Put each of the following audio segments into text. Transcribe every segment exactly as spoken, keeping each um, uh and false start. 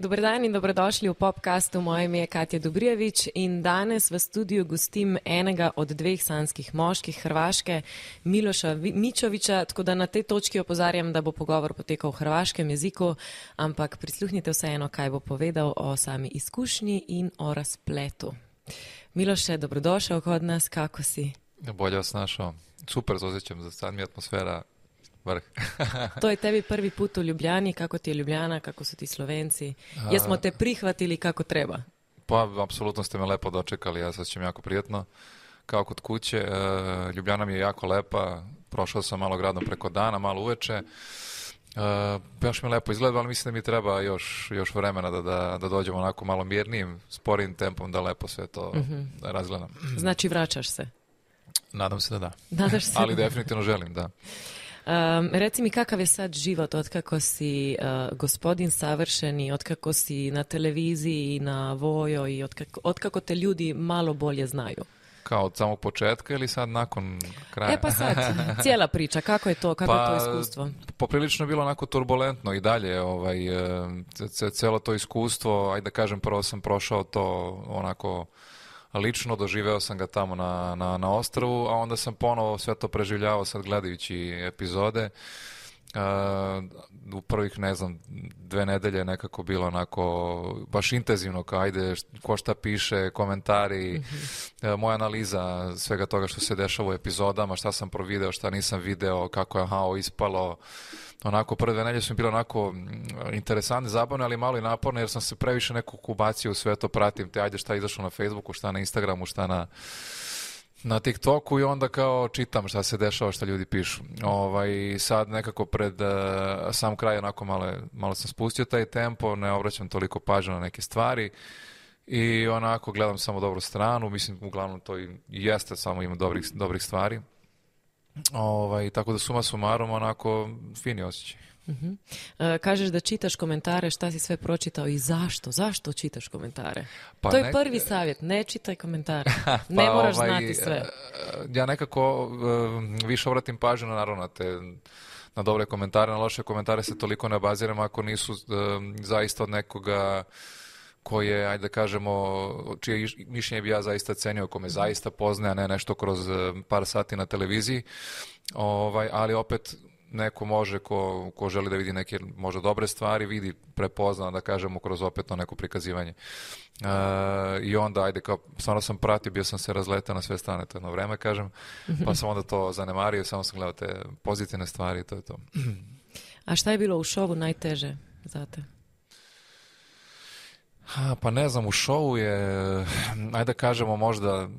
Dobar dan in dobrodošli v Popcastu. Moje ime je Katja Dobrijevič in danes v studiu gostim enega od dveh sanskih moških Hrvaške, Miloša Mičovića, tako da na tej točki opozarjam, da bo pogovor potekal v hrvaškem jeziku, ampak prisluhnite vseeno, kaj bo povedal o sami izkušnji in o razpletu. Miloše, dobrodošel kod nas, kako si? Bolje vas našao. Super se osjećam, za sad mi je atmosfera vrh. To je tebi prvi put u Ljubljani, kako ti je Ljubljana, kako su ti Slovenci? Jesmo te prihvatili kako treba? Pa, apsolutno ste me lepo dočekali, ja se osjećam jako prijetno, kao kod kuće. E, Ljubljana mi je jako lepa, prošao sam malo gradom preko dana, malo uveče. E, baš mi lepo izgleda, ali mislim da mi treba još, još vremena da, da, da dođemo onako malo mirnijim, sporijim tempom, da lepo sve to mm-hmm. razgledam. Znači vraćaš se? Nadam se da da. Nadaš se? Ali definitivno želim, da. Um, reci mi kakav je sad život otkako si uh, gospodin savršeni, otkako si na televiziji, na Vojo i otkako, otkako te ljudi malo bolje znaju? Kao od samog početka ili sad nakon kraja? E pa sad, cijela priča, kako je to, kako pa, je to iskustvo? Poprilično je bilo onako turbulentno i dalje, ovaj, cijelo to iskustvo, ajde da kažem, prvo sam prošao to onako lično, doživeo sam ga tamo na, na, na ostrvu, a onda sam ponovo sve to preživljavao sad gledajući epizode. Uh, u prvih, ne znam, dve nedelje nekako bilo onako baš intenzivno, kao ajde, ko šta piše, komentari, mm-hmm. uh, moja analiza svega toga što se dešava u epizodama, šta sam provideo, šta nisam video, kako je aha, ispalo. Onako, prve dve nedelje su mi bile onako interesantne, zabavne, ali malo i naporne, jer sam se previše nekog ubacio u sve to, pratim te, ajde šta je izašlo na Facebooku, šta na Instagramu, šta na na TikToku i onda kao čitam šta se dešava, šta ljudi pišu. Ovaj, sad nekako pred uh, sam kraj onako malo, malo sam spustio taj tempo, ne obraćam toliko pažnje na neke stvari i onako gledam samo dobru stranu, mislim uglavnom to i jeste, samo ima dobrih, dobrih stvari. Ovaj, tako da suma sumarom onako fini osjećaj. Uh-huh. Uh, kažeš da čitaš komentare, šta si sve pročitao i zašto? Zašto čitaš komentare? Pa to je ne... prvi savjet, ne čitaj komentare. pa ne moraš ovaj, znati sve. Ja nekako uh, više obratim pažnju na, naravno na te na dobre komentare, na loše komentare se toliko ne baziram ako nisu uh, zaista od nekoga koje, ajde da kažemo, čije mišljenje bi ja zaista cenio, ko me zaista poznaje, a ne nešto kroz par sati na televiziji. Ovaj, ali opet neko može, ko, ko želi da vidi neke možda dobre stvari, vidi, prepozna, da kažemo, kroz opet to neko prikazivanje. E, I onda, ajde, kao, stvarno sam pratio, bio sam se razletao na sve strane to jedno vreme, kažem, pa sam onda to zanemario, samo sam gledao te pozitivne stvari i to je to. A šta je bilo u šovu najteže za te? Ha, pa ne znam, u šovu je, ajde da kažemo možda,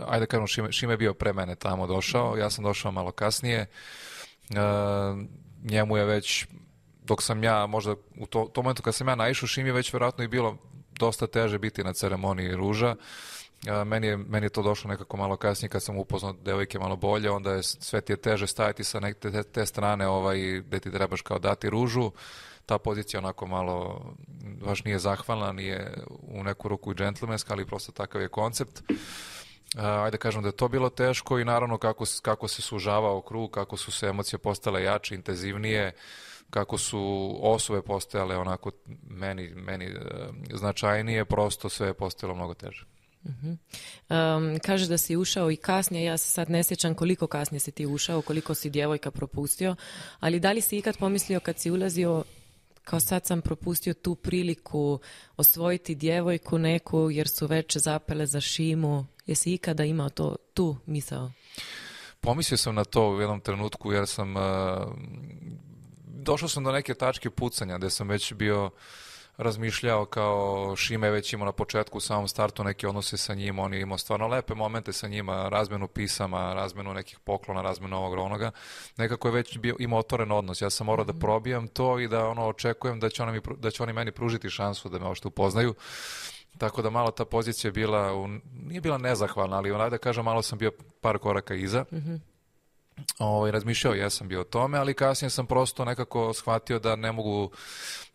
ajde da kažemo Šime, Šime je bio pre mene tamo došao, ja sam došao malo kasnije. Uh, njemu je već, dok sam ja, možda u to, to momentu kad sam ja naišao, Šimi je već vjerojatno i bilo dosta teže biti na ceremoniji ruža. Uh, meni, je, meni je to došlo nekako malo kasnije kad sam upoznao devojke malo bolje, onda je sve ti je teže stajati sa neke te, te strane ovaj, gde ti trebaš kao dati ružu. Ta pozicija onako malo baš nije zahvalna, nije u neku ruku i džentlmenska, ali prosto takav je koncept. Uh, ajde kažem da je to bilo teško i naravno kako, kako se sužavao krug, kako su se emocije postale jače, intenzivnije, kako su osobe postajale onako meni, meni uh, značajnije, prosto sve je postajalo mnogo teže. Uh-huh. Um, kažeš da si ušao i kasnije, ja se sad ne sjećam koliko kasnije si ti ušao, koliko si djevojka propustio, ali da li si ikad pomislio kad si ulazio kao sad sam propustio tu priliku osvojiti djevojku neku jer su već zapele za Šimu? Jesi ikada imao to, tu misao? Pomislio sam na to u jednom trenutku jer sam uh, došao sam do neke tačke pucanja gdje sam već bio razmišljao kao Šime već imao na početku u samom startu neke odnose sa njim, on je imao stvarno lepe momente sa njima, razmenu pisama, razmenu nekih poklona, razmenu ovog onoga. Nekako je već bio, imao otvoren odnos. Ja sam morao da probijam to i da ono očekujem da će, oni, da će oni meni pružiti šansu da me ovo što upoznaju. Tako da malo ta pozicija je bila, u, nije bila nezahvalna, ali onaj da kažem malo sam bio par koraka iza. Mm-hmm. Ovaj, razmišljao ja sam bio o tome, ali kasnije sam prosto nekako shvatio da ne mogu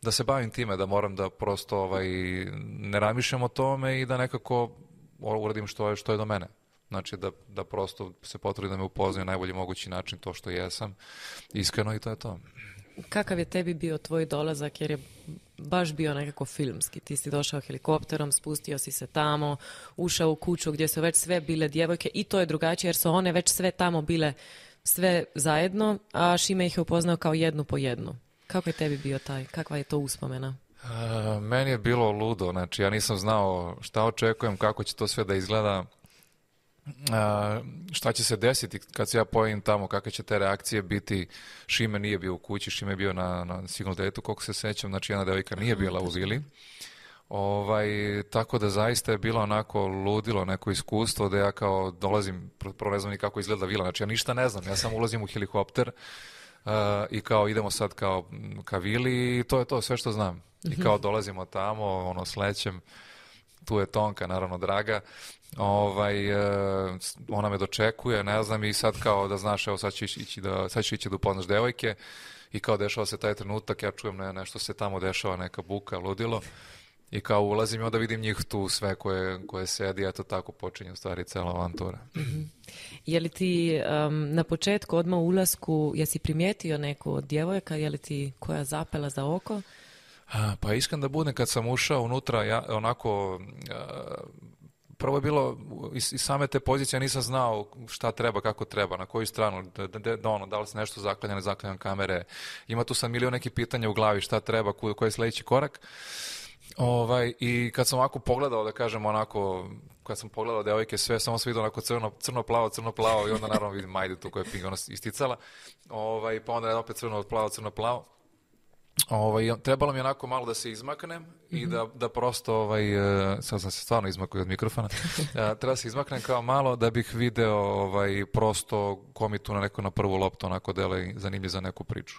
da se bavim time, da moram da prosto ovaj, ne razmišljam o tome i da nekako uradim što je, što je do mene. Znači da, da prosto se potrudim da me upoznaju na najbolji mogući način to što jesam, iskreno i to je to. Kakav je tebi bio tvoj dolazak, jer je baš bio nekako filmski. Ti si došao helikopterom, spustio si se tamo, ušao u kuću gdje su već sve bile djevojke i to je drugačije jer su one već sve tamo bile sve zajedno, a Šime ih je upoznao kao jednu po jednu. Kako je tebi bio taj? Kakva je to uspomena? Uh, meni je bilo ludo, znači ja nisam znao šta očekujem, kako će to sve da izgleda, uh, šta će se desiti kad se ja pojavim tamo, kakve će te reakcije biti. Šime nije bio u kući, Šime je bio na, na single date-u, koliko se sećam, znači jedna devojka nije bila u vili. Ovaj, tako da zaista je bilo onako ludilo neko iskustvo da ja kao dolazim, prvo ne znam ni kako izgleda vila, znači ja ništa ne znam, ja sam ulazim u helikopter uh, i kao idemo sad kao ka vili i to je to sve što znam. I kao dolazimo tamo, ono slećem, tu je Tonka, naravno draga, ovaj, uh, ona me dočekuje, ne znam i sad kao da znaš, evo sad ćeš ići da, sad ćeš ići da upoznaš devojke i kao dešava se taj trenutak, ja čujem ne, nešto se tamo dešava, neka buka, ludilo. I kao ulazim i onda vidim njih tu sve koje, koje sedi, eto tako počinje u stvari cela avantura. Mm-hmm. Je li ti um, na početku odmah u ulasku, jesi primijetio neku od djevojka, je li ti koja zapela za oko? A, pa iskren da budem, kad sam ušao unutra, ja onako... A, prvo je bilo, iz, iz same te pozicije nisam znao šta treba, kako treba, na koju stranu, da, da, da, ono, da li se nešto zaklanja, ne zaklanjam kamere. Ima tu sam milion nekih pitanja u glavi, šta treba, koji je sljedeći korak. Ovaj, i kad sam ovako pogledao, da kažem onako, kad sam pogledao devojke sve, samo sam vidio onako crno, crno-plavo, crno-plavo i onda naravno vidim Majdu tu koja je Pink ona isticala, ovaj, pa onda opet crno-plavo, crno-plavo. Ovaj, trebalo mi onako malo da se izmaknem mm-hmm. i da, da prosto, ovaj, sad sam se stvarno izmakao od mikrofona, treba da se izmaknem kao malo da bih video ovaj, prosto ko mi tu na neko na prvu loptu onako dele zanimljiv za neku priču.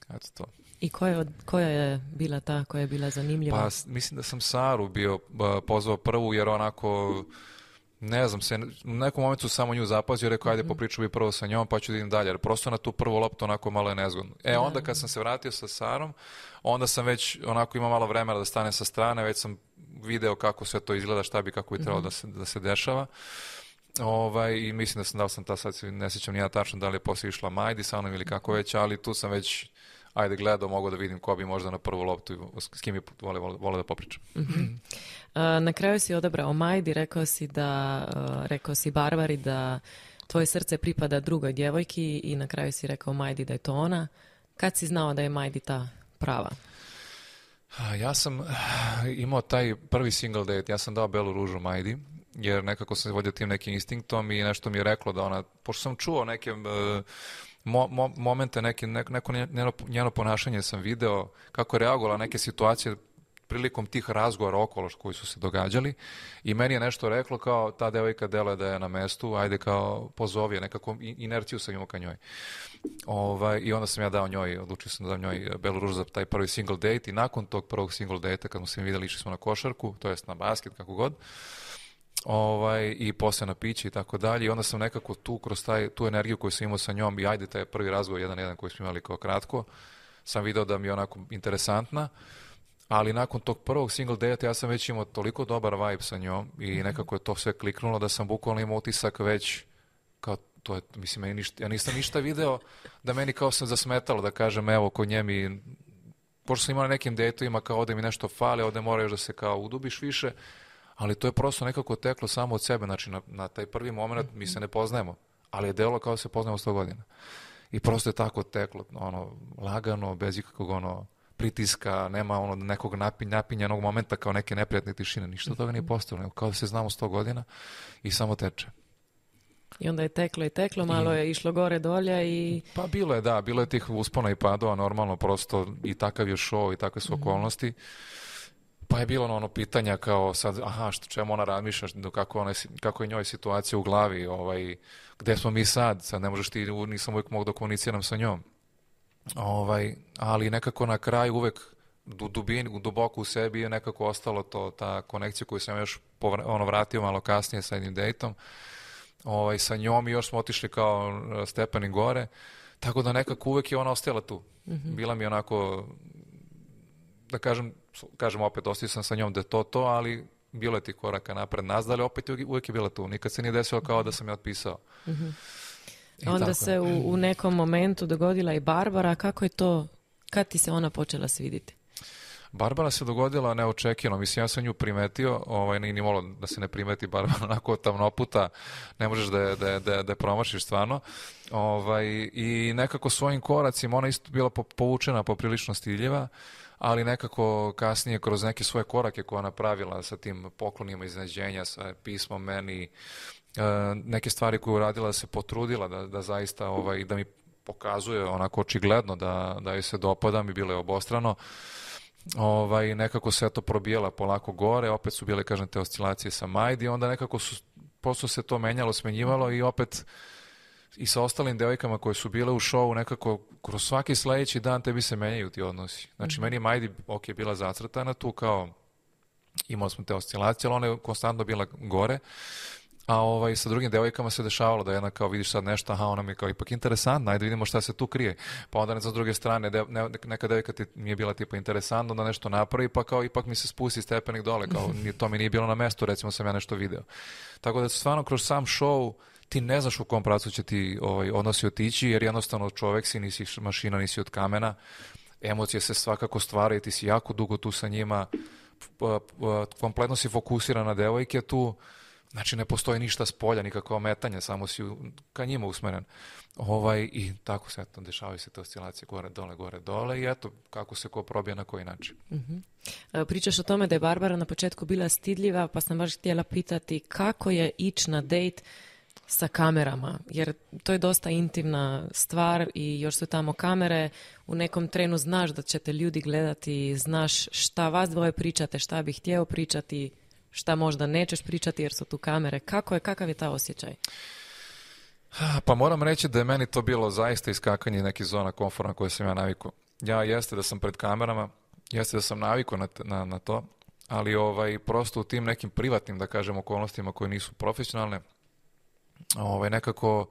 Eto to. I koja, koja je bila ta koja je bila zanimljiva? Pa mislim da sam Saru bio pozvao prvu jer onako, ne znam, se, u nekom momentu samo nju zapazio, rekao ajde popriču bi prvo sa njom pa ću da idem dalje, jer prosto na tu prvu loptu onako malo je nezgodno. E da, onda kad sam se vratio sa Sarom, onda sam već onako imao malo vremena da stane sa strane, već sam video kako sve to izgleda, šta bi, kako bi trebalo mm-hmm. da, se, da se dešava. Ovaj, i mislim da sam dao sam ta, sad ne sjećam nijeda tačno da li je poslije išla Majdi sa mnom ili kako već, ali tu sam već ajde gledao, mogu da vidim ko bi možda na prvu loptu, s kim bi vole, vole, vole da popričam. Mm-hmm. Uh, na kraju si odabrao Majdi, rekao si da, uh, rekao si Barbari da tvoje srce pripada drugoj djevojki i na kraju si rekao Majdi da je to ona. Kad si znao da je Majdi ta prava? Ja sam imao taj prvi single date, ja sam dao belu ružu Majdi, jer nekako sam se vodio tim nekim instinktom i nešto mi je reklo da ona, pošto sam čuo neke... Uh, Mo, mo, momente, neke, neko, neko njeno, njeno ponašanje sam video, kako je reagovala neke situacije prilikom tih razgovora okolo koji su se događali i meni je nešto reklo kao ta devojka dela da je na mestu, ajde kao pozovi je, nekako inerciju sam imao ka njoj. Ovaj, I onda sam ja dao njoj, odlučio sam da dam njoj belu ružu za taj prvi single date i nakon tog prvog single date kad smo se vidjeli išli smo na košarku, to jest na basket, kako god. Ovaj, i posle na piće i tako dalje i onda sam nekako tu kroz taj, tu energiju koju sam imao sa njom i ajde taj prvi razgovor jedan jedan koji smo imali kao kratko sam video da mi je onako interesantna, ali nakon tog prvog single date ja sam već imao toliko dobar vibe sa njom i nekako je to sve kliknulo da sam bukvalno imao utisak već kao to je, mislim, ja, ništa, ja nisam ništa video da meni kao sam zasmetalo da kažem evo kod nje mi, pošto sam imao na nekim dateovima kao ovde mi nešto fali, ovde mora još da se kao udubiš više. Ali to je prosto nekako teklo samo od sebe, znači na, na taj prvi moment mi se ne poznajemo, ali je delo kao da se poznajemo sto godina. I prosto je tako teklo, ono, lagano, bez ikakvog ono, pritiska, nema ono nekog napinj, napinjanog momenta kao neke neprijatne tišine, ništa od toga nije postojalo, kao da se znamo sto godina i samo teče. I onda je teklo i teklo, malo I, je išlo gore dolje i... Pa bilo je, da, bilo je tih uspona i padova, normalno, prosto i takav je show i takve su okolnosti. Pa je bilo ono pitanja kao sad, aha, što, čemu ona razmišlja, kako, ona, kako je njoj situacija u glavi, ovaj, gde smo mi sad, sad ne možeš ti, nisam uvijek mogu da komuniciram sa njom. Ovaj, ali nekako na kraju uvek u dubini, duboko u sebi je nekako ostalo to, ta konekcija koju sam još povra, ono, vratio malo kasnije sa jednim dejtom. Ovaj, sa njom i još smo otišli kao stepeni gore, tako da nekako uvek je ona ostala tu. Mm-hmm. Bila mi onako, da kažem, kažem opet, ostio sam sa njom da je to to, ali bilo je ti koraka napred nazad, ali opet uvijek je bila tu. Nikad se nije desilo kao da sam je otpisao. Mm-hmm. Onda tako. Se u, u nekom momentu dogodila i Barbara. Kako je to, kad ti se ona počela svidjeti? Barbara se dogodila neočekivano, mislim ja sam nju primetio, ovaj, nije ni malo da se ne primeti Barbara, onako tamnoputa, ne možeš da je, da je, da je, da je promašiš stvarno, ovaj, i nekako svojim koracima, ona isto bila povučena poprilično stiljiva, ali nekako kasnije kroz neke svoje korake koje ona napravila sa tim poklonima iznenađenja, sa pismom meni, neke stvari koje uradila, da se potrudila da, da zaista, ovaj, da mi pokazuje onako očigledno da, da joj se dopada, mi bilo je obostrano. Ovaj, nekako se to probijela polako gore, opet su bile, kažem, te oscilacije sa Majdi, onda nekako su, prosto se to menjalo, smenjivalo i opet i sa ostalim devojkama koje su bile u šovu, nekako kroz svaki sledeći dan tebi se menjaju ti odnosi. Znači, mm-hmm. meni Majdi, ok, je bila zacrtana tu, kao imali smo te oscilacije, ali ona je konstantno bila gore. A ovaj, sa drugim devojkama se dešavalo da jedna kao vidiš sad nešto, aha, ona mi je kao ipak interesantna, ajde vidimo šta se tu krije. Pa onda sa druge strane, de, ne, neka devojka ti mi je bila tipa interesantna, da nešto napravi, pa kao ipak mi se spusti stepenik dole, kao to mi nije bilo na mestu, recimo sam ja nešto video. Tako da stvarno kroz sam show ti ne znaš u kom pravcu će ti ovaj, odnosi otići, jer jednostavno čovek si, nisi mašina, nisi od kamena, emocije se svakako stvaraju, ti si jako dugo tu sa njima, kompletno si fokusiran na devojke tu. Znači, ne postoji ništa s polja, nikakvo ometanje, samo si u, ka njima usmeren. Ovaj, I tako se, eto, dešavaju se te oscilacije gore, dole, gore, dole i eto, kako se ko probija na koji način. Uh-huh. Pričaš o tome da je Barbara na početku bila stidljiva, pa sam baš htjela pitati kako je ići na dejt sa kamerama, jer to je dosta intimna stvar i još su tamo kamere, u nekom trenu znaš da će te ljudi gledati, znaš šta vas dvoje pričate, šta bih htio pričati, šta možda nećeš pričati jer su tu kamere. Kako je, kakav je ta osjećaj? Pa moram reći da je meni to bilo zaista iskakanje nekih zona komfora na koje sam ja navikao. Ja jeste da sam pred kamerama, jeste da sam navikao na, na, na to, ali ovaj, prosto u tim nekim privatnim, da kažem, okolnostima koje nisu profesionalne, ovaj, nekako,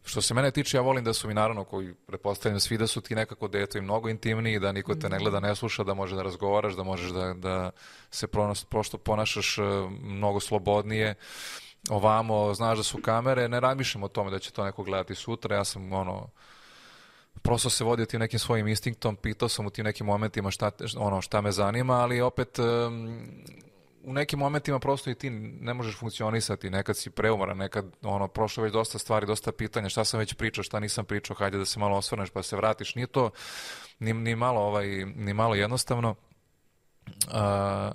što se mene tiče, ja volim da su mi, naravno, koji pretpostavljam svi da su ti nekako deto i mnogo intimniji, da niko te ne gleda, ne sluša, da može da razgovaraš, da možeš da, da se prosto ponašaš mnogo slobodnije. Ovamo, znaš da su kamere, ne razmišljam o tome da će to neko gledati sutra, ja sam, ono, prosto se vodio tim nekim svojim instinktom, pitao sam u tim nekim momentima šta, ono, šta me zanima, ali opet um, u nekim momentima prosto i ti ne možeš funkcionisati, nekad si preumoran, nekad ono, prošlo već dosta stvari, dosta pitanja, šta sam već pričao, šta nisam pričao, hajde da se malo osvrneš pa se vratiš, nije to ni, ni, malo, ovaj, ni malo jednostavno. A,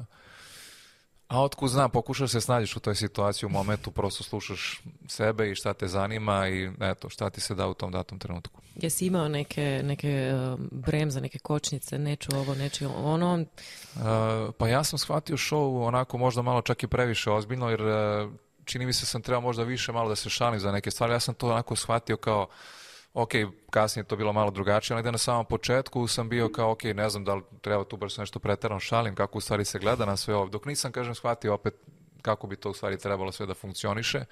a otkud znam, pokušaš se snađeš u toj situaciji u momentu, prosto slušaš sebe i šta te zanima i eto, šta ti se da u tom datom trenutku. Jesi imao neke, neke uh, bremze, neke kočnice, neću ovo, neću ono? Uh, pa ja sam shvatio show onako možda malo čak i previše ozbiljno, jer uh, čini mi se sam trebao možda više malo da se šalim za neke stvari. Ja sam to onako shvatio kao, ok, kasnije je to bilo malo drugačije, ali da na samom početku sam bio kao, ok, ne znam da li treba tu baš nešto preterano šalim, kako u stvari se gleda na sve ovo. Dok nisam, kažem, shvatio opet kako bi to u stvari trebalo sve da funkcioniše.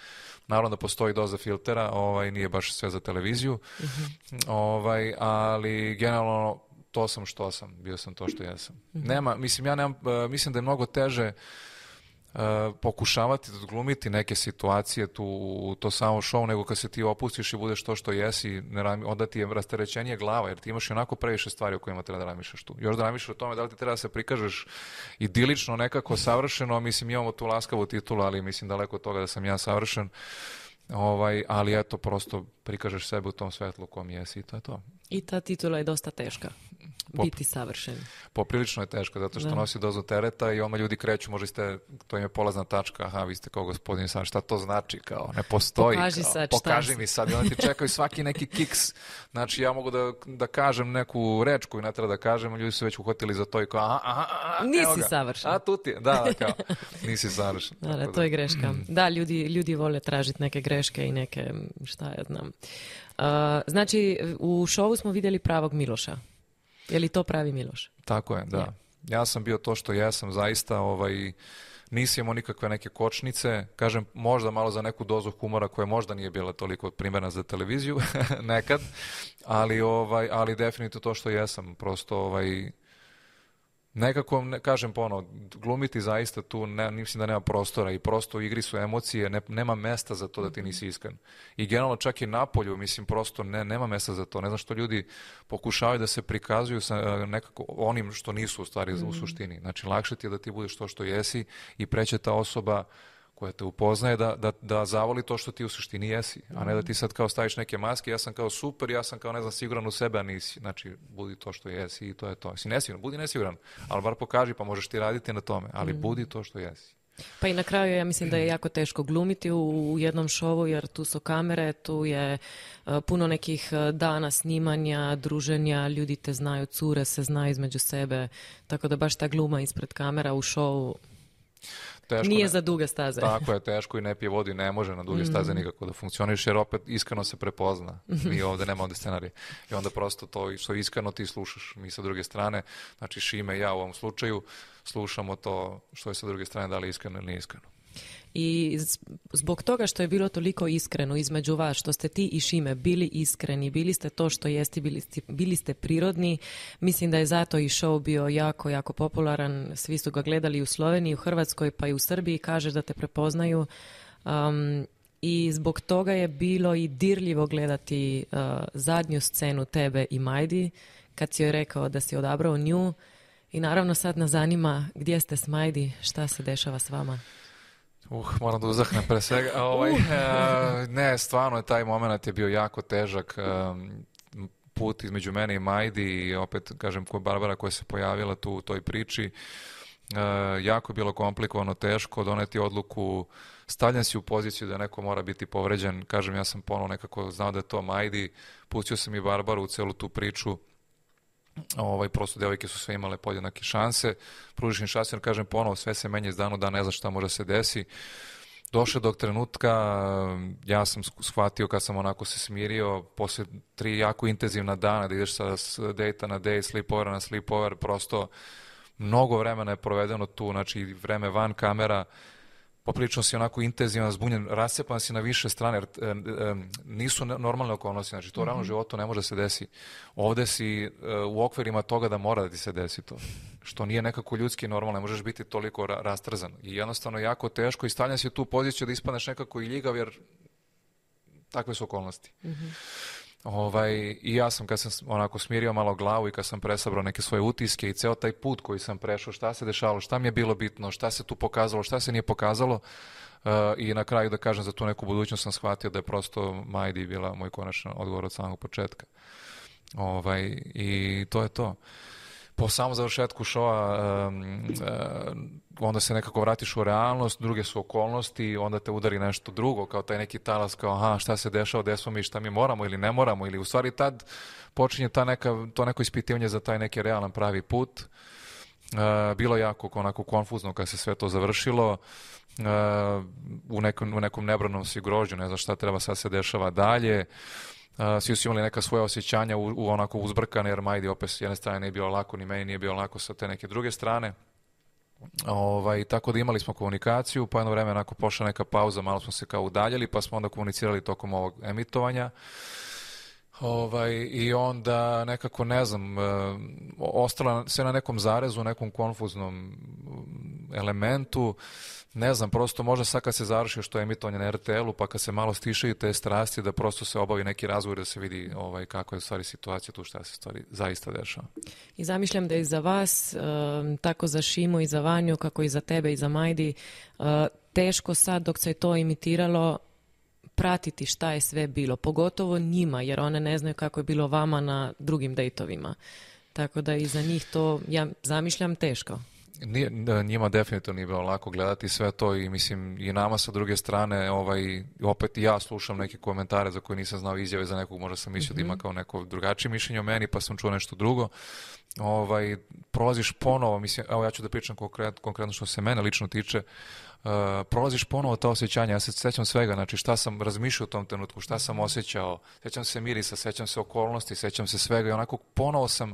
Naravno da postoji doza filtera, ovaj, nije baš sve za televiziju, uh-huh. ovaj, ali generalno to sam što sam, bio sam to što jesam. Uh-huh. Nema, mislim, ja nemam, mislim da je mnogo teže uh, pokušavati da odglumiti neke situacije tu u to samo show, nego kad se ti opustiš i budeš to što jesi, ne, onda ti je rasterećenije glava, jer ti imaš i onako previše stvari o kojima treba da razmišljaš tu. Još da razmišljaš o tome da li ti treba da se prikažeš idilično, nekako savršeno, mislim imamo tu laskavu titulu, ali mislim daleko od toga da sam ja savršen, ovaj, ali eto, prosto prikažeš sebe u tom svetlu u kom jesi i to je to. I ta titula je dosta teška. Pop, biti savršen. Poprilično je teško, zato što da. Nosi dozu tereta i oma ljudi kreću, možda ste, to im je polazna tačka, aha, vi ste kao gospodin sad, šta to znači, kao, ne postoji. Pokaži kao, sad, pokaži mi sad, i onda ti čekaju svaki neki kiks, znači ja mogu da, da kažem neku reč koju ne treba da kažem, ljudi su već uhvatili za to i kao, aha, aha, aha, nisi savršen. A tu ti je, da, da, kao, nisi savršen. Da, da, to je greška. Da, ljudi, ljudi vole tražiti neke greške i neke, šta ja znam. Uh, znači, u šovu smo vidjeli pravog Miloša. Je li to pravi Miloš? Tako je, da. Ja, ja sam bio to što jesam, zaista, ovaj, nisam imao nikakve neke kočnice, kažem, možda malo za neku dozu humora koja možda nije bila toliko primjerna za televiziju, nekad, ali, ovaj, ali definitivno to što jesam, prosto, ovaj, nekako, ne, kažem ponovo, glumiti zaista tu, ne, mislim da nema prostora i prosto u igri su emocije, ne, nema mesta za to da ti nisi iskren. I generalno čak i napolju, mislim, prosto ne, nema mesta za to. Ne znam što ljudi pokušavaju da se prikazuju sa nekako onim što nisu u stvari mm. u suštini. Znači, lakše ti je da ti budeš to što jesi i preće ta osoba koja te upoznaje da, da, da zavoli to što ti u suštini jesi, a ne da ti sad kao staviš neke maske, ja sam kao super, ja sam kao ne znam siguran u sebe, a nisi. Znači, budi to što jesi i to je to. Si nesiguran, budi nesiguran, ali bar pokaži pa možeš ti raditi na tome, ali mm. budi to što jesi. Pa i na kraju ja mislim da je jako teško glumiti u, u jednom šovu jer tu su kamere, tu je uh, puno nekih dana snimanja, druženja, ljudi te znaju, cure se znaju između sebe, tako da baš ta gluma ispred kamera u šovu teško, nije ne, za duge staze. Tako je, teško i ne pije vodu i ne može na duge staze mm. nikako da funkcioniš, jer opet iskreno se prepozna. Mi ovde nema ovde scenarije. I onda prosto to što iskreno ti slušaš. Mi sa druge strane, znači Šime i ja u ovom slučaju, slušamo to što je sa druge strane da li iskreno ili nije iskreno. I zbog toga što je bilo toliko iskreno između vas, što ste ti i Šime bili iskreni, bili ste to što jeste, bili ste, bili ste prirodni, mislim da je zato i show bio jako, jako popularan, svi su ga gledali u Sloveniji, u Hrvatskoj pa i u Srbiji, kažeš da te prepoznaju um, i zbog toga je bilo i dirljivo gledati uh, zadnju scenu tebe i Majdi, kad si joj rekao da si odabrao nju i naravno sad nas zanima gdje ste s Majdi, šta se dešava s vama? Uh, moram da uzahnem pre svega. A, ovaj, uh. uh, ne, stvarno je taj moment je bio jako težak. Um, put između mene i Majdi i opet, kažem, Barbara koja se pojavila tu u toj priči. Uh, jako je bilo komplikovano, teško doneti odluku. Stavljen si u poziciju da neko mora biti povređen. Kažem, ja sam ponovno nekako znao da je to Majdi. Pustio sam i Barbaru u celu tu priču. Ovaj, prosto devojke su sve imale podjednake šanse, pružiš im šanse, kažem ponovo, sve se menja iz dana u dan, ne znaš šta može se desi. Došle do trenutka, ja sam shvatio kad sam onako se smirio, posle tri jako intenzivna dana da ideš sa dejta na dejt, sleepovera na sleepover, prosto mnogo vremena je provedeno tu, znači vreme van kamera, poprilično si onako intenzivan, zbunjen, rascepan si na više strane, jer e, e, nisu normalne okolnosti, znači to u realnom životu ne može da se desi. Ovde si e, u okvirima toga da mora da ti se desi to, što nije nekako ljudski normalno, ne možeš biti toliko ra rastrzan. I jednostavno jako teško i stavljan si u tu poziciju da ispadneš nekako i ljigav, jer takve su okolnosti. Mm-hmm. Ovaj, i ja sam kad sam onako smirio malo glavu i kad sam presabrao neke svoje utiske i ceo taj put koji sam prešao, šta se dešavalo, šta mi je bilo bitno, šta se tu pokazalo, šta se nije pokazalo uh, i na kraju da kažem za tu neku budućnost sam shvatio da je prosto Majdi bila moj konačan odgovor od samog početka. Ovaj, i to je to. Po samom završetku šova um, um, onda se nekako vratiš u realnost, druge su okolnosti, onda te udari nešto drugo, kao taj neki talas, kao aha, šta se dešava, gde smo mi, šta mi moramo ili ne moramo, ili u stvari tad počinje ta neka, to neko ispitivanje za taj neki realan pravi put. Uh, bilo jako onako konfuzno kad se sve to završilo, uh, u, nekom, u nekom nebranom si grožđu, ne znam šta treba sad se dešava dalje. Uh, svi su imali neka svoja osjećanja u, u onako uzbrkane, jer Majdi opet s jedne strane nije bilo lako, ni meni nije bilo lako sa te neke druge strane. Ovaj, tako da imali smo komunikaciju, pa jedno vreme onako pošla neka pauza, malo smo se kao udaljili, pa smo onda komunicirali tokom ovog emitovanja. Ovaj, I onda nekako, ne znam, uh, ostala se na nekom zarezu, nekom konfuznom elementu. Ne znam, prosto možda sad kad se završi što je emitovanje na er te el-u, pa kad se malo stišaju te strasti, da prosto se obavi neki razgovor da se vidi ovaj, kako je u stvari situacija tu, šta se stvari zaista dešava. I zamišljam da i za vas, tako za Šimu i za Vanju, kako i za tebe i za Majdi, teško sad dok se je to imitiralo pratiti šta je sve bilo, pogotovo njima, jer one ne znaju kako je bilo vama na drugim dejtovima. Tako da i za njih to, ja zamišljam, teško. Nije, njima definitivno nije bilo lako gledati sve to i mislim i nama sa druge strane ovaj, opet i ja slušam neke komentare za koje nisam znao, izjave za nekog, možda sam mislio mm-hmm. da ima kao neko drugačije mišljenje o meni, pa sam čuo nešto drugo. Ovaj, prolaziš ponovo, mislim, evo ja ću da pričam konkret, konkretno što se mene lično tiče, uh, prolaziš ponovo ta osjećanja, ja se sećam svega, znači šta sam razmišljao u tom trenutku, šta sam osjećao, sećam se mirisa, sećam se okolnosti, sećam se svega i onako ponovo sam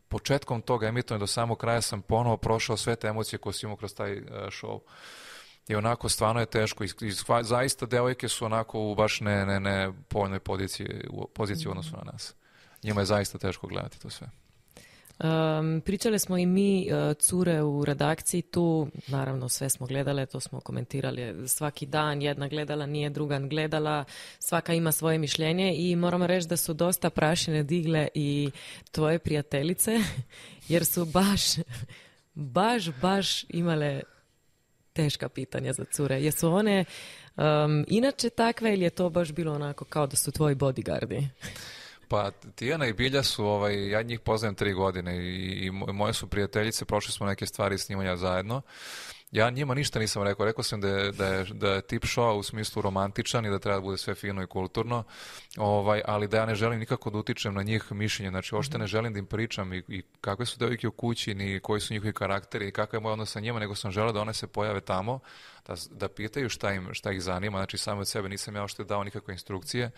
početkom toga emitovanja do samog kraja sam ponovo prošao sve te emocije koje sam imao kroz taj uh, show. I onako stvarno je teško. I, i zaista devojke su onako u baš ne, ne, ne povoljnoj poziciji, u poziciji u odnosu na nas. Njima je zaista teško gledati to sve. Um, pričali smo i mi uh, cure u redakciji tu, naravno sve smo gledale, to smo komentirali svaki dan, jedna gledala, nije druga gledala, svaka ima svoje mišljenje i moramo reći da su dosta prašine digle i tvoje prijateljice, jer su baš, baš, baš imale teška pitanja za cure. Jesu one um, inače takve ili je to baš bilo onako kao da su tvoji bodyguardi? Pa Tijana i Bilja su, ovaj, ja njih poznajem tri godine i, i moje su prijateljice, prošli smo neke stvari snimanja zajedno. Ja njima ništa nisam rekao, rekao sam da je, da je, da je tip show u smislu romantičan i da treba da bude sve fino i kulturno, ovaj, ali da ja ne želim nikako da utičem na njih mišljenje, znači uopšte ne želim da im pričam i, i kakve su devojke u kući, ni koji su njihovi karakteri i kakav je moj odnos sa njima, nego sam želeo da one se pojave tamo, da, da pitaju šta, im, šta ih zanima, znači samo od sebe nisam ja uopšte dao nikakve instrukcije.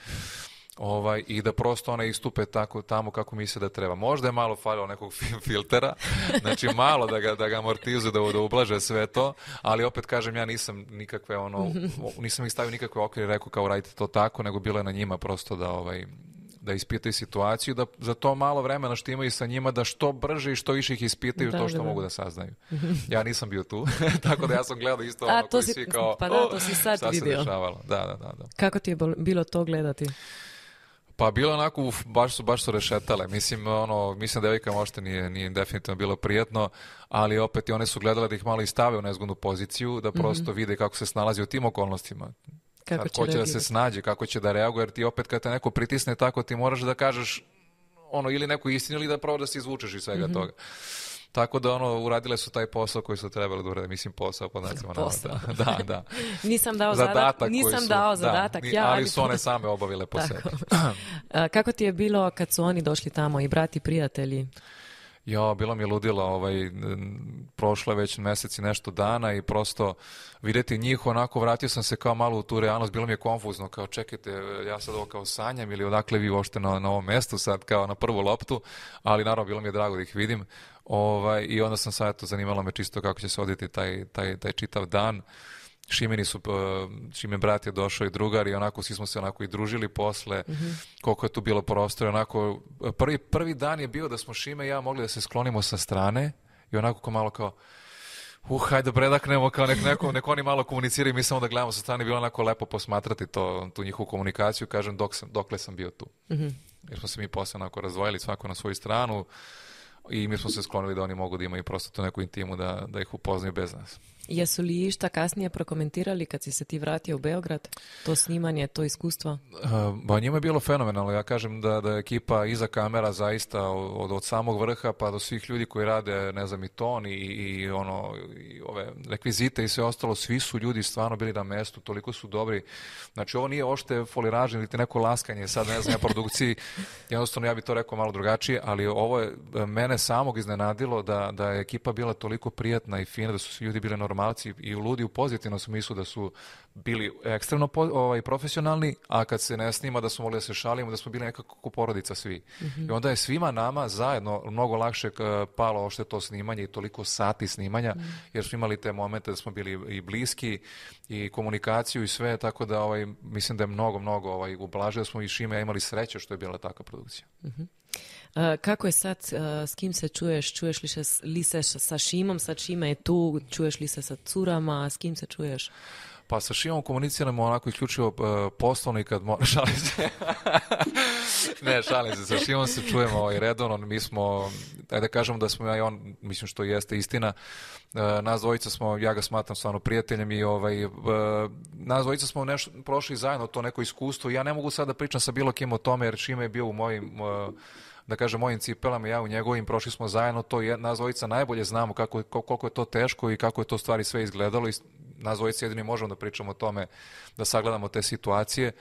Ovaj, i da prosto one istupe tako tamo kako misle da treba. Možda je malo falilo nekog filtera, znači malo da ga, da ga amortizuju, da, da ublaže sve to, ali opet kažem, ja nisam nikakve ono, nisam ih stavio nikakve okvire i rekao kao radite to tako, nego bilo je na njima prosto da ovaj, da ispitaju situaciju, da za to malo vremena što imaju sa njima, da što brže i što više ih ispitaju da, to što da, da. mogu da saznaju. Ja nisam bio tu, tako da ja sam gledao isto ono koji si, svi kao, pa da, to si sad šta vidio. Se dešavalo. Da, da, da, da. Kako ti je bilo to gledati? Pa bilo onako, uf, baš su, baš su rešetale. Mislim, ono, mislim da devojkama uopšte nije, nije definitivno bilo prijatno, ali opet i one su gledale da ih malo i stave u nezgodnu poziciju, da prosto mm-hmm. vide kako se snalazi u tim okolnostima. Kako će, će da se snađe, kako će da reaguje, jer ti opet kad te neko pritisne tako, ti moraš da kažeš ono, ili neku istinu ili da pravo da se izvučeš iz svega mm-hmm. toga. Tako da ono, uradile su taj posao koji su trebali da urade, mislim posao pod nacima. Posao. Da, da, da. Nisam dao zadatak, nisam su, dao zadatak. Da, ja, ali su one same obavile po sebi. Kako ti je bilo kad su oni došli tamo i brati prijatelji? Ja, bilo mi je ludilo, ovaj, prošlo je već mjesec i nešto dana i prosto vidjeti njih, onako vratio sam se kao malo u tu realnost, bilo mi je konfuzno, kao čekajte, ja sad ovo kao sanjam ili odakle vi uopšte na, na ovom mjestu sad kao na prvu loptu, ali naravno bilo mi je drago da ih vidim ovaj, i onda sam sad, eto, zanimalo me čisto kako će se odviti taj, taj, taj čitav dan. Šimeni su, Šime brat je došao i drugar i onako svi smo se onako i družili posle, mm-hmm. koliko je tu bilo prostora, onako prvi, prvi dan je bio da smo Šime i ja mogli da se sklonimo sa strane i onako kao malo kao uh, hajde predaknemo, kao nek, neko, nek oni malo komuniciraju, mi samo da gledamo sa strane, bilo onako lepo posmatrati to, tu njihovu komunikaciju, kažem dok sam, dokle sam bio tu. Mm-hmm. Jer smo se mi posle onako razdvojili svako na svoju stranu i mi smo se sklonili da oni mogu da imaju prosto tu neku intimu da, da ih upoznaju bez nas. Jesu li išta kasnije prokomentirali kad si se ti vratio u Beograd? To snimanje, to iskustvo? Ba, njima je bilo fenomenalno. Ja kažem da, da je ekipa iza kamera zaista od, od samog vrha pa do svih ljudi koji rade, ne znam, i ton i, i, ono, i ove rekvizite i sve ostalo, svi su ljudi stvarno bili na mestu, toliko su dobri. Znači, ovo nije ošte foliražnje ili neko laskanje, sad ne znam, ja produkciji, jednostavno ja bih to rekao malo drugačije, ali ovo je mene samog iznenadilo da, da je ekipa bila toliko prijatna i fina, da su svi ljudi bili normalni i ludi u pozitivnom smislu, da su bili ekstremno po, ovaj, profesionalni, a kad se ne snima da smo mogli da se šalimo, da smo bili nekako porodica svi. Mm-hmm. I onda je svima nama zajedno mnogo lakše palo ošte to snimanje i toliko sati snimanja, mm. jer smo imali te momente da smo bili i bliski i komunikaciju i sve, tako da ovaj, mislim da je mnogo, mnogo ovaj, ublažili smo i Šime imali sreće što je bila takva produkcija. Mm-hmm. Uh, kako je sad, uh, s kim se čuješ? Čuješ li se, li se sa Šimom? Sad Šime je tu, čuješ li se sa curama? S kim se čuješ? Pa sa Šimom komuniciramo onako isključivo uh, poslovno i kad mora, šalim se. Ne, šalim se, sa Šimom se čujemo ovaj, redovno, mi smo, ajde da kažemo da smo ja i on, mislim što jeste istina, uh, nas dvojica smo, ja ga smatram stvarno prijateljem i ovaj, uh, nas dvojica smo nešto prošli zajedno to neko iskustvo, ja ne mogu sad da pričam sa bilo kim o tome jer Šime je bio u mojim uh, da kažem, mojim cipelama, ja u njegovim, prošli smo zajedno, to je, nas dvojica najbolje znamo kako, koliko je to teško i kako je to stvari sve izgledalo i nas dvojica jedini možemo da pričamo o tome, da sagledamo te situacije.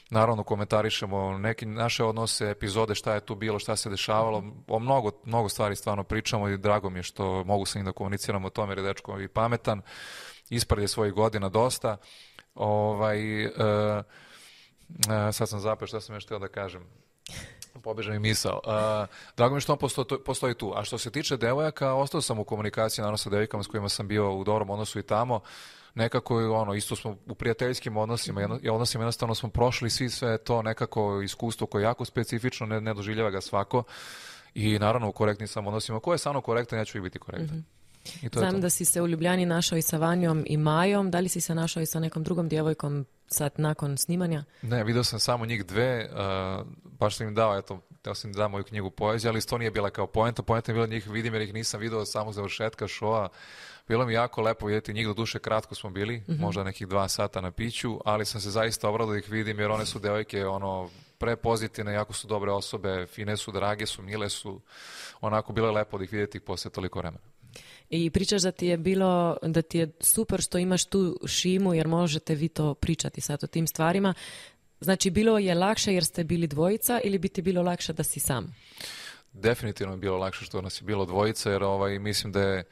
Naravno, komentarišemo neke naše odnose, epizode, šta je tu bilo, šta se dešavalo, o mnogo, mnogo stvari stvarno pričamo i drago mi je što mogu sa njim da komuniciramo o tome jer je dečko i pametan, ispred je svojih godina dosta. Ovaj, uh, uh, sad sam zapeo šta sam još htio da kažem. Pobeža mi misao. Uh, drago mi je što on postoji, postoji tu. A što se tiče devojaka, ostao sam u komunikaciji naravno sa devojkama s kojima sam bio u dobrom odnosu i tamo. Nekako ono, isto smo u prijateljskim odnosima, jedno, odnosima jednostavno smo prošli svi sve to nekako iskustvo koje je jako specifično, ne, ne doživljava ga svako. i naravno u korektnim sam odnosima. Ko je samo korektan, ja ću i biti korektan. Mm-hmm. I to Znam da si se u Ljubljani našao i sa Vanjom i Majom. Da li si se našao i sa nekom drugom djevojkom sad nakon snimanja? Ne, vidio sam samo njih dve. Uh, baš sam im dao, eto, teo sam im da moju knjigu poezije, ali to nije bila kao poenta. Poenta je bila njih vidim jer ih nisam vidio od samog završetka šoa. Bilo mi jako lepo vidjeti njih, do duše kratko smo bili, mm-hmm. možda nekih dva sata na piću, ali sam se zaista obradao da ih vidim jer one su devojke ono, prepozitivne, jako su dobre osobe, fine su, drage su, mile su, onako bilo je lepo da ih vidjeti posle toliko vremena. I pričaš da ti je bilo, da ti je super što imaš tu Šimu jer možete vi to pričati sad o tim stvarima. Znači bilo je lakše jer ste bili dvojica ili bi ti bilo lakše da si sam? Definitivno je bilo lakše što nas je bilo dvojica jer ovaj, mislim da je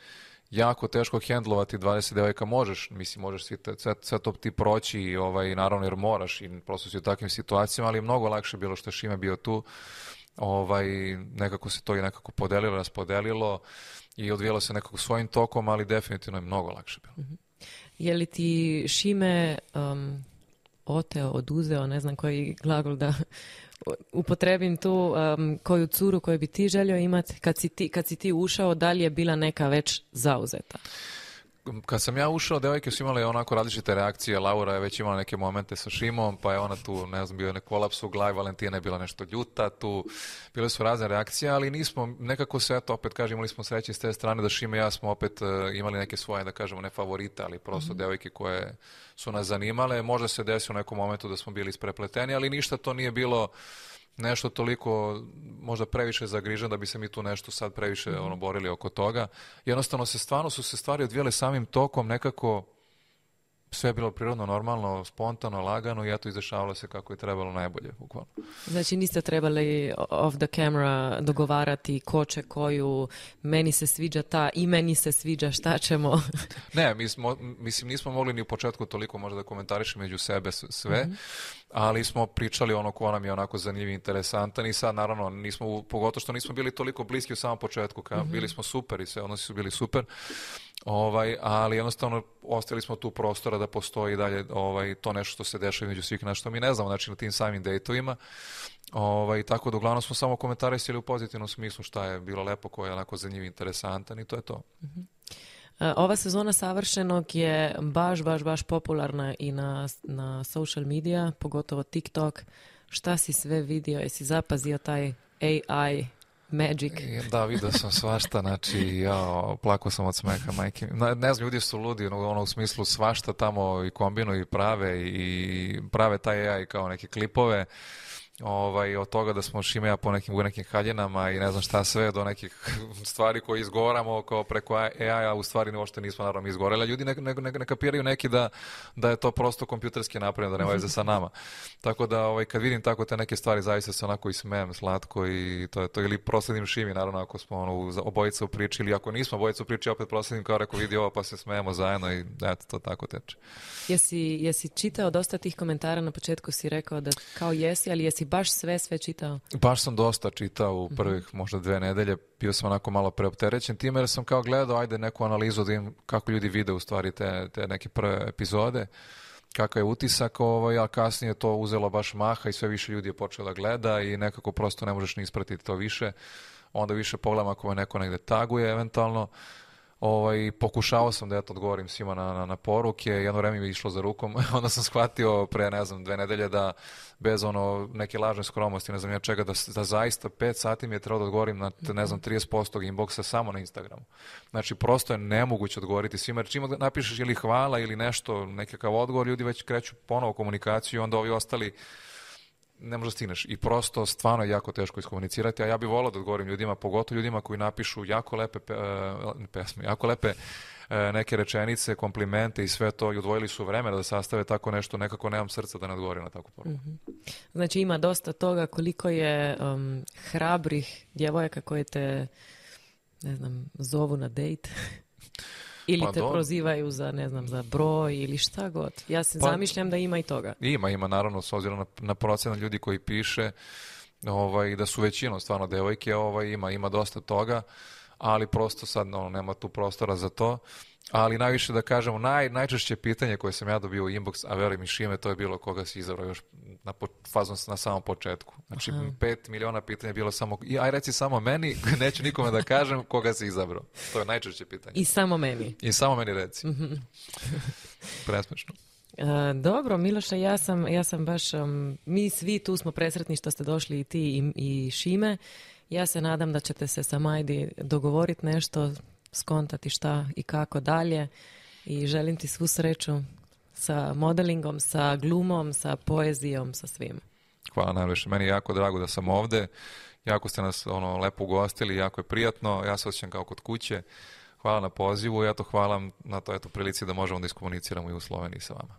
jako teško hendlovati dvadeset devojaka, možeš, mislim, možeš sve, sve to ti proći i ovaj, naravno jer moraš i prosto si u takvim situacijama, ali je mnogo lakše bilo što je Šime bio tu, ovaj, nekako se to i nekako podelilo, raspodelilo i odvijelo se nekako svojim tokom, ali definitivno je mnogo lakše bilo. Mm-hmm. Je li ti Šime um, oteo, oduzeo, ne znam koji glagol da upotrebim tu, um, koju curu koju bi ti želio imati kad si ti, kad si ti ušao, da li je bila neka već zauzeta? Kad sam ja ušao, devojke su imale onako različite reakcije. Laura je već imala neke momente sa Šimom, pa je ona tu, ne znam, bio je nek kolaps u glavi, Valentina je bila nešto ljuta tu, bile su razne reakcije, ali nismo, nekako se, eto, opet kažem, imali smo sreće s te strane da Šime i ja smo opet uh, imali neke svoje, da kažemo, ne favorite, ali prosto mm-hmm. devojke koje su nas zanimale. Možda se desilo u nekom momentu da smo bili isprepleteni, ali ništa to nije bilo nešto toliko, možda previše zagrižen da bi se mi tu nešto sad previše mm-hmm. ono, borili oko toga. Jednostavno se stvarno su se stvari odvijale samim tokom, nekako sve je bilo prirodno, normalno, spontano, lagano i eto izdešavalo se kako je trebalo najbolje, bukvalno. Znači niste trebali off the camera dogovarati ko će koju, meni se sviđa ta i meni se sviđa, šta ćemo? Ne, mi smo, mislim nismo mogli ni u početku toliko možda da komentarišemo među sebe sve, mm-hmm. ali smo pričali ono ko nam je onako zanimljiv i interesantan i sad naravno nismo, pogotovo što nismo bili toliko bliski u samom početku, ka, mm-hmm. bili smo super i sve odnosi su bili super, ovaj, ali jednostavno ostavili smo tu prostora da postoji dalje ovaj, to nešto što se dešava među svih nas što mi ne znamo, znači na tim samim dejtovima, ovaj, tako da uglavnom smo samo komentarisali u pozitivnom smislu šta je bilo lepo, ko je onako zanimljiv i interesantan i to je to. Mm-hmm. Ova sezona Savršenog je baš, baš, baš popularna i na, na social media, pogotovo TikTok. Šta si sve vidio? Jesi zapazio taj A I magic? Da, vidio sam svašta, znači ja plakao sam od smeha, majke. Ne, ne znam, ljudi su ludi, ono u smislu svašta tamo i kombinuju i prave i prave taj A I kao neke klipove. Ovaj, od toga da smo Šime ja po nekim, u nekim haljinama i ne znam šta sve, do nekih stvari koje izgovaramo kao preko A I-a, u stvari uopšte nismo naravno izgovorili. Ljudi ne, ne, ne, ne kapiraju neki da, da je to prosto kompjuterski napravljeno, da nema veze sa nama. Tako da ovaj, kad vidim tako te neke stvari, zaista se onako i smijem slatko i to je to. Ili prosledim Šimi, naravno, ako smo ono, obojica u priči, ili ako nismo obojica u priči, opet prosledim kao rekao vidi ovo pa se smijemo zajedno i eto, to tako teče. Jesi, jesi čitao dosta tih komentara na početku, si rekao da kao jesi, ali jesi baš sve, sve čitao? Baš sam dosta čitao u prvih mm-hmm. možda dve nedelje. Bio sam onako malo preopterećen time jer sam kao gledao, ajde neku analizu da im kako ljudi vide u stvari te, te neke prve epizode, kakav je utisak, ovaj, a kasnije to uzelo baš maha i sve više ljudi je počelo da gleda i nekako prosto ne možeš ni ispratiti to više. Onda više pogledam ako me neko negde taguje eventualno. Ovaj, pokušao sam da eto odgovorim svima na, na, na poruke, jedno vreme mi je išlo za rukom, onda sam shvatio pre, ne znam, dve nedelje da bez ono neke lažne skromnosti, ne znam ja čega, da, da zaista pet sati mi je trebalo da odgovorim na, ne znam, trideset posto inboxa samo na Instagramu. Znači, prosto je nemoguće odgovoriti svima, jer čim napišeš ili hvala ili nešto, nekakav odgovor, ljudi već kreću ponovo komunikaciju i onda ovi ostali ne možda stigneš i prosto stvarno je jako teško iskomunicirati, a ja bih volao da odgovorim ljudima, pogotovo ljudima koji napišu jako lepe pe, uh, pesme, jako lepe uh, neke rečenice, komplimente i sve to i odvojili su vremena da sastave tako nešto, nekako nemam srca da ne odgovorim na takvu poruku. Mm-hmm. Znači ima dosta toga koliko je um, hrabrih djevojaka koje te, ne znam, zovu na dejt. Ili pa te do... prozivaju za, ne znam, za broj ili šta god. Ja se pa, zamišljam da ima i toga. Ima, ima naravno, s obzirom na, na procenat ljudi koji piše, ovaj, da su većinom stvarno devojke, ovaj, ima, ima dosta toga, ali prosto sad no, nema tu prostora za to. Ali najviše da kažemo, naj, najčešće pitanje koje sam ja dobio u inbox, a verujem i Šime, to je bilo koga si izabrao još na fazu na samom početku. Znači, Aha. pet miliona pitanja je bilo samo, i aj reci samo meni, neću nikome da kažem koga si izabrao. To je najčešće pitanje. I samo meni. I samo meni reci. Presmešno. Uh, dobro, Miloša, ja sam, ja sam baš, um, mi svi tu smo presretni što ste došli i ti i, i Šime. Ja se nadam da ćete se sa Majdi dogovoriti nešto, skontati šta i kako dalje i želim ti svu sreću sa modelingom, sa glumom, sa poezijom, sa svim. Hvala najviše. Meni je jako drago da sam ovde. Jako ste nas ono, lepo ugostili, jako je prijatno. Ja se osjećam kao kod kuće. Hvala na pozivu i ja to hvala na to eto, prilici da možemo da iskomuniciramo i u Sloveniji sa vama.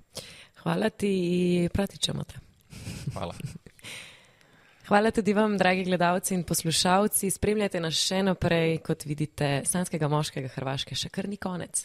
Hvala ti i pratit ćemo te. Hvala. Hvala tudi vam, dragi gledalci in poslušalci. Spremljajte nas še naprej, kot vidite, Sanskega moškega Hrvaške še kar ni konec.